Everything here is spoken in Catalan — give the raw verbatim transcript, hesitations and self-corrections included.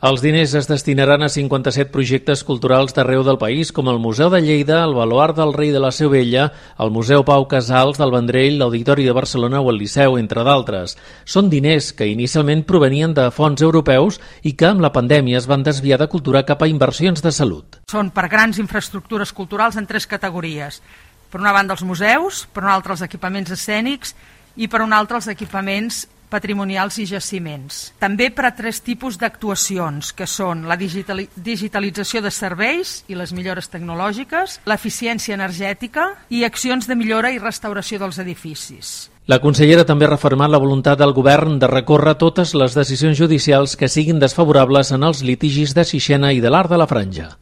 Els diners es destinaran a cinquanta-set projectes culturals d'arreu del país, com el Museu de Lleida, el Baluard del Rei de la Seu Vella, el Museu Pau Casals del Vendrell, l'Auditori de Barcelona o el Liceu, entre d'altres. Són diners que inicialment provenien de fons europeus i que amb la pandèmia es van desviar de cultura cap a inversions de salut. Són per grans infraestructures culturals en tres categories. Per una banda els museus, per una altra els equipaments escènics i per una altra els equipaments patrimonials i jaciments. També per a tres tipus d'actuacions, que són la digitali- digitalització de serveis i les millores tecnològiques, l'eficiència energètica i accions de millora i restauració dels edificis. La consellera també ha refermat la voluntat del govern de recórrer totes les decisions judicials que siguin desfavorables en els litigis de Sixena i de l'Arc de la Franja.